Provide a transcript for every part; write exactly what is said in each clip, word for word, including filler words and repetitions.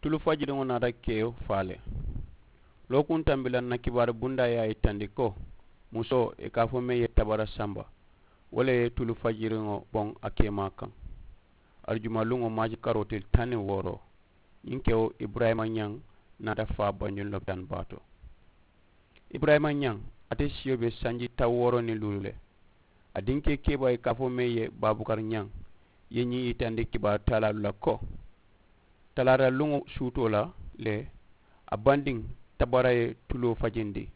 Tulu fajiriŋo naata keyo faa le. Lookuŋ tambi la n na kibaaru bundaa ye a yitandi ko musoo ì ka a fo meŋ ye tabara samba, wo le ye tulu fajiriŋo boŋ a keemaa kaŋ. Arijuma luŋo maaji karoo tili taŋ niŋ wooro, ñiŋ kewo iburayima ñaŋ naata faa banjuni lopitaani baa to. Iburayima ñaŋ, ate siyo be sanji taŋ wooro niŋ luulu le. A dinkee keebaa ì ka a fo meŋ ye baabukari ñaŋ ye ñiŋ yitandi kibaaru taalaalu la ko talaata luŋo suutoo la le, a bandiŋ tabara ye tuloo fajindi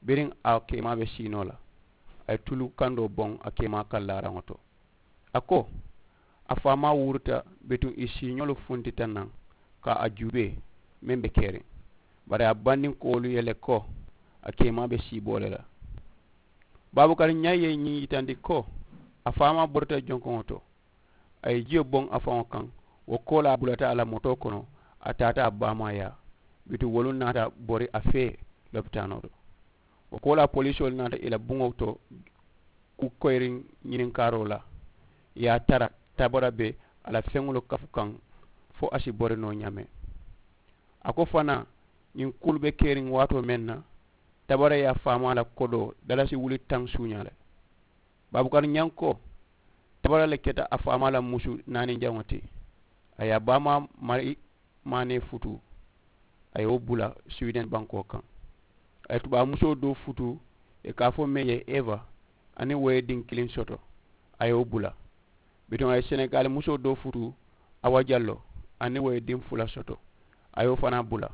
biriŋ a keemaa be sii noo la. A ye tulu kandoo boŋ a keemaa kallaaraŋo to. A ko a faamaa wurita bituŋ ì siiñolu funtita naŋ ka a juubee meŋ be keriŋ. Bari a bandinkoolu ye le ko a keemaa be siiboo le la. Baabukari ñaŋ ye ñiŋ yitandi ko a faamaa borita jonkoŋo to. A ye jiyo boŋ a faŋo kaŋ. Wo koolaa a bulata a la motoo kono. A taata a baamaa yaa bituŋ wolu naata bori a fee lopitaanoo to. Wo koolaa polisoolu naata ì la buŋo to ku koyiriŋ ñininkaaroo la. Ì ye a tara tabara be a la feŋolu kafu kaŋ fo a si bori noo ñaameŋ. A ko fanaa ñiŋ kuulu be keriŋ waatoo meŋ na tabara ye a faamaa la kodoo dalasi wuli taŋ suuñaa le. Baabukari ñaŋ ko tabara le keta a faamaa la musu naani jaŋo ti. A ye a baamaa mari maanee futuu. A ye wo bula siwiden bankoo kaŋ. A ye tubaabu musoo doo futuu ì ka a fo meŋ ye eva aniŋ wo ye diŋ kiliŋ soto. A ye wo bula. Bituŋ a ye senegaali musoo doo futuu awa jallo aniŋ wo ye diŋ fula soto. A ye wo fanaa bula.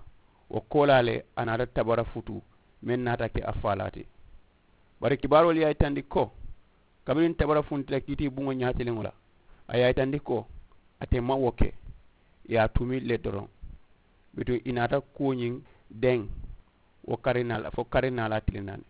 Wo koolaa le a naata tabara futuu meŋ naata ke a faalaa ti. Bari kibaaroolu ye a yitandi ko kabiriŋ tabara funtita kiitii buŋo ñaatiliŋo la a ye a yitandi ko ate maŋ wo ke. Ì ye a tumi le doroŋ. Bituŋ ì naata kuwo ñiŋ deŋ wo karinaa la fo karinaa la a tili naani.